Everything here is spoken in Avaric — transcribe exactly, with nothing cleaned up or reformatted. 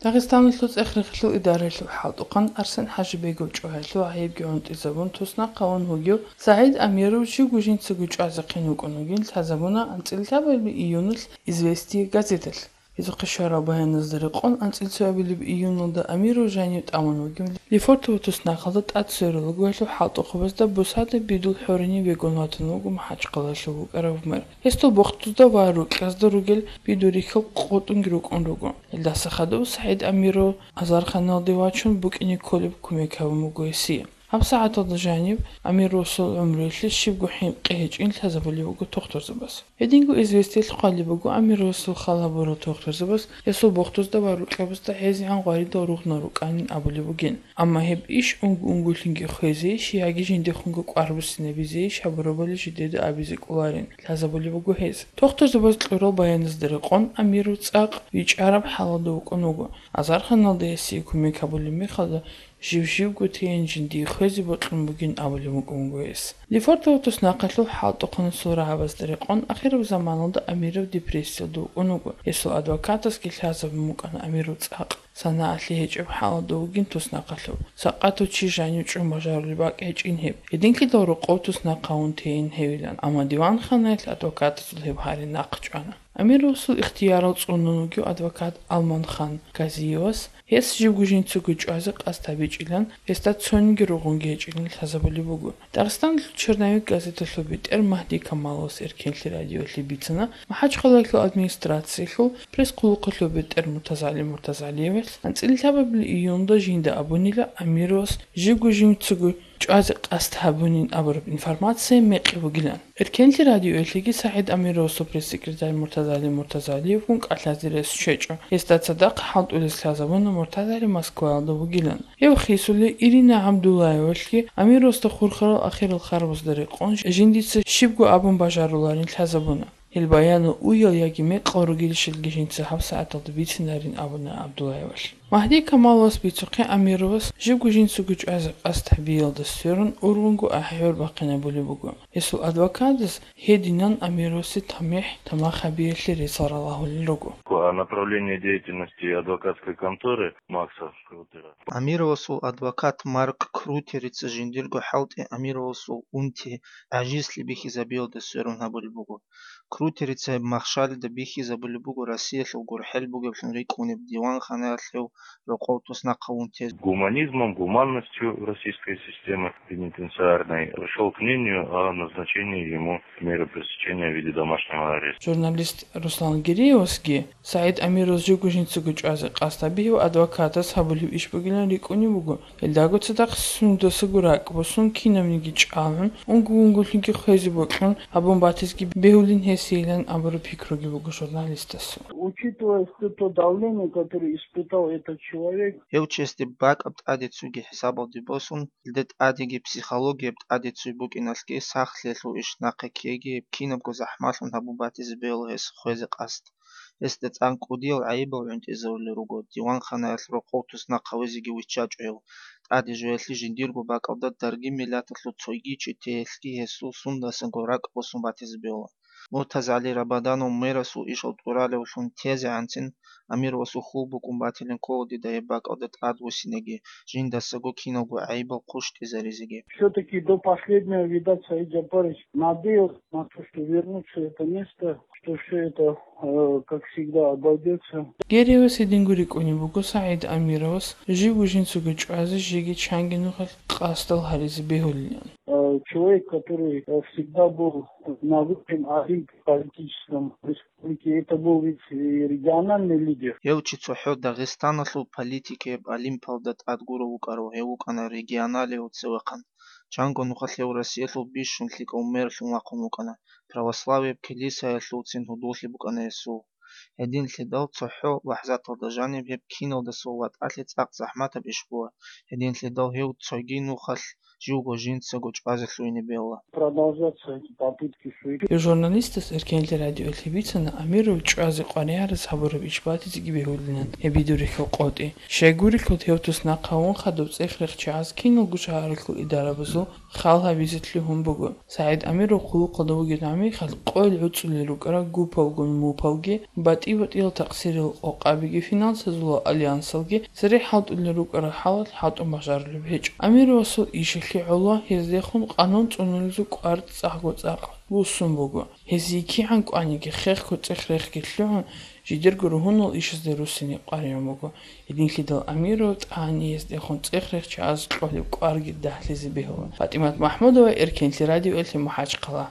Дагъистаналъул цӀех-рехилъул идаралъул хӀалтӀухъан Арсен ХӀажибегов чӀваялъул гӀайибги гӀунтӀизабун туснахъ гьавун вугев СагӀид Амиров живго жинцаго чӀвазехъин вукӀун вугин лъазабуна анцӀила лъабабилеб июналъ «Известия» газеталъ. Гьезухъе щварал баяназда рекъон, анцӀила цоябилеб июналда Амиров жанив тӀамун вугев Лефортово туснахъалда тӀад сверуллагоялъул хӀалтӀухъабазда бусада бидул хӀоринив вегун ватун вуго МахӀачхъалаялъув вукӀарав мэр. Гьесул бохтузда ва рукьазда ругел бидул рихьал къотӀунги рукӀун руго. Гьелдаса хадув СагӀид Амиров азарханалде вачун букӀине кколеб кумек гьабун буго гьесие. ГьабсагӀаталда жаниб Амировасул гӀумруялъе щибго хӀинкъи гьечӀин лъазабулеб буго тохтурзабаз. Гьединго «Известиялъ» хъвалеб буго, Амировасул хал гьабурал тохтурзабаз гьесул бохтузда ва рукьабазда гӀезегӀан гъваридал ругънал рукӀанин абулеб бугин. Амма гьеб иш унго-унголъинги хвезейищ яги жиндехунго кӀвар буссинабизейищ гьабурабали жидеда абизе кӀоларин лъазабулеб буго гьез. Тохтурзабаз кьурал баяназда рекъон, Амиров цӀакъ вичӀараб хӀалалда вукӀун вуго. Азарханалда гьесие кумек гьабулеб мехалда, жив-живго тейин жиндие хвезе бокьун бугин абулеб букӀун буго гьес. Лефортово туснахъалъул хӀалтӀухъанасул рагӀабазда рекъон, ахираб заманалда Амиров депрессиялда вукӀун вуго. Гьесул адвокатасги лъазабун букӀана Амиров цӀакъ. СанагӀалъи гьечӀеб хӀалалда вугин туснахъалъув. Сакъатав чи жанив чӀун бажарулеб бакӀ гьечӀин гьеб. Гьединлъидал рокъов туснахъ гьавун тейин гьевилан, амма диванханаялъ адвокатазул гьеб гьари нахъ чӀвана. Амировасул ихтиярал цӀунун вугев адвокат Алманхан Казиевас гьес живго жинцаго чӀвазе къасд гьабичӀилан, гьесда цониги ругъунги гьечӀилан лъазабулеб буго. Дагъистаналъул «Черновик» газеталъул бетӀер Магьди Камаловас Эркенлъи радиоялъе бицана, МахӀачхъалаялъул администрациялъул пресс-хъулухъалъул бетӀер МуртазагӀали МуртазагӀалиевас анцӀила лъабабилеб июнда жинда абунила Амировас живго жинцаго чӀвазе къасд гьабунин абураб информация мекъи бугилан. Эркенлъи радиоялъеги СагӀид Амировасул пресс-секретарь МуртазагӀали МуртазагӀалиевгун кӀалъазе рес щвечӀо. Гьесда цадахъ хӀалтӀулес лъазабуна МуртазагӀали Москваялда вугилан. Гьев хисули Ирина ГӀабдуллаевалъги Амировасда хурхарал ахирал харбазда рекъон жиндица щибго абун бажаруларин лъазабуна. Гьел баянал уял яги мекъал ругелищалги жинца гьабсагӀаталда бицинарин абуна ГӀабдуллаевалъ. Магьди Камаловас бицухъе Амировас живго жинцаго чӀвазе къасд гьабиялда сверун ургъунго ахӀи-гӀур бахъинабулеб буго. Гьесул адвокатас гьединан Амировасе тамихӀ тамах гьабиялъе рецал ралагьулел руго. О направлении деятельности адвокатской конторы Макса Крутера. Амировасул адвокат Марк Крутерица жиндирго хӀалтӀи Амировасул унти гӀажизлъи бихьизабиялда сверун гьабулеб буго. Крутерица гьеб махщалида бихьизабулеб буго Россиялъул гурхӀел бугеблъун рикӀкӀунеб диванханаялъ гьев рокъов туснахъ гьавун тезе. Гуманизмом, гуманностью российской системы пенитенциарной пришёл к мнению о назначении ему меры пресечения в виде домашнего ареста. Журналист Руслан Гиреевасги СагӀид Амировас живго жинцаго чӀвазе къасд гьабиялъе адвокатас гьабулеб иш бугилан рикӀкӀунеб буго. Гьелдаго цадахъ сундасаго ракӀ босун, кинабниги чӀалгӀун, унго-унголъинги хвезе бокьун гьабун батизеги бегьулин гьесейилан абураб пикруги буго журналистасул. Учитывая всё то давление, которое испытал этот человек. Гьев чиясде бакӀаб тӀаде цоги хӀисабалде босун, гьелда тӀадеги психологияб тӀаде цой букӀиналъги сахлъиялъул иш нахъе ккеги гьеб кинабго захӀмалъун гьабун батизе бегьула гьес хвезе къасд. Гьесда цӀакъ кӀудиял гӀайибал гӀунтӀизарулел руго, диванханаялъ рокъов туснахъ гьавизеги виччачӀо гьев. ТӀаде жоялъе жиндирго бакӀалда даргин миллаталъул цойги чи теялъги гьесул сундасаго ракӀ босун батизе бегьула. МуртазагӀали Рабаданов мерасул ишал тӀуралевлъун тезегӀанцин, Амировасул хьул букӀун батилин ккола дида гьеб бакӀалда тӀадвуссинеги, жиндасаго киналго гӀайибал хъущтӀизаризеги. Всё-таки до последнего, видать, Саид Джапарович надеялся на то, что вернуться это место, что всё это, э, как всегда, обойдётся. Гиреевас гьединго рикӀкӀунеб буго СагӀид Амировас живго жинцаго чӀвазе жеги чанги нухалъ къасдал гьаризе бегьулилан. Э, человек, который, э, всегда был на высшем олимпе политическом республики, это был ведь и региональный лидер. Гьев чи цохӀо Дагъистаналъул политикияб олимпалда тӀад гурав вукӀарав, гьев вукӀана регионалиялъул цевехъан. Чанго нухалъ гьев Россиялъул бищун лъикӀав мэрлъун вахъун вукӀана, православияб килисаялъулцин гьудуллъи букӀана гьесул. Гьединлъидал цохӀо лахӀзаталда жаниб гьеб киналдасул ватӀалъи цӀакъ захӀматаб иш буго, гьединлъидал гьев цоги нухалъ живго жинцаго чӀвазе лъугьине бегьула. Продолжаться эти попытки шури. Журналистас Эркенлъи радиоялъе бицана Амиров чӀвазе къваригӀарас гьабураб иш батизеги бегьулилан гьеб бидурихьул къотӀи. Щайгурелъул гьев туснахъ гьавун хадуб цӀех-рехчагӀаз киналго шагьаралъул идарабазул хал гьабизе лъугьун буго. СагӀид Амиров хъулухъалда вугеб гӀамихъалъ къойил гӀуцӀулел рукӀарал гупалгун мупалги, батӀи-батӀиял такъсирал къокъабиги, финансазул альянсалги цере хӀалтӀулел рукӀарал хӀалалъ хӀалтӀун бажарулеб гьечӀо. Амировасул ишалъе гӀоло гьездехун къанун цӀунулезул кӀвар цӀакъго-цӀакъ буссун буго. Гьезие кигӀан кӀваниги, хехго цӀех-рехги лъугӀун, жидерго ругьунал ишазде руссине къваригӀун буго. Гьединлъидал Амиров тӀагӀани гьездехун цӀех-рехчагӀаз кьолеб кӀварги дагьлъизе бегьула. ПатӀимат МахӀмудова, Эркенлъи радиоялъе, МахӀачхъала.